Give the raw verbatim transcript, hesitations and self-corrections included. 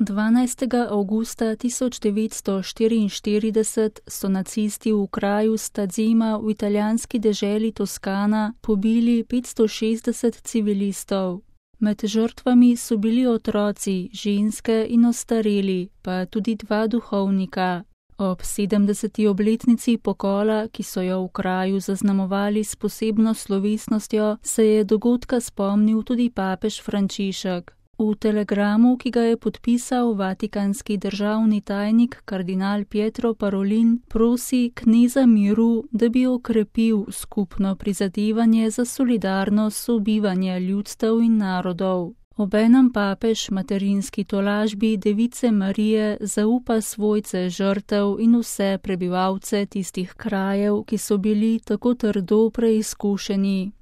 dvanajstega avgusta tisoč devetsto štiriinštirideset so nacisti v kraju Stazema v italijanski deželi Toskana pobili petsto šestdeset civilistov. Med žrtvami so bili otroci, ženske in ostareli, pa tudi dva duhovnika. Ob sedemdeseti obletnici pokola, ki so jo v kraju zaznamovali s posebno slovesnostjo, se je dogodka spomnil tudi papež Frančišek. V telegramu, ki ga je podpisal vatikanski državni tajnik kardinal Pietro Parolin, prosi kneza miru, da bi okrepil skupno prizadevanje za solidarno sobivanje ljudstev in narodov. Obenem papež materinski tolažbi Device Marije zaupa svojce žrtev in vse prebivalce tistih krajev, ki so bili tako trdo preizkušeni.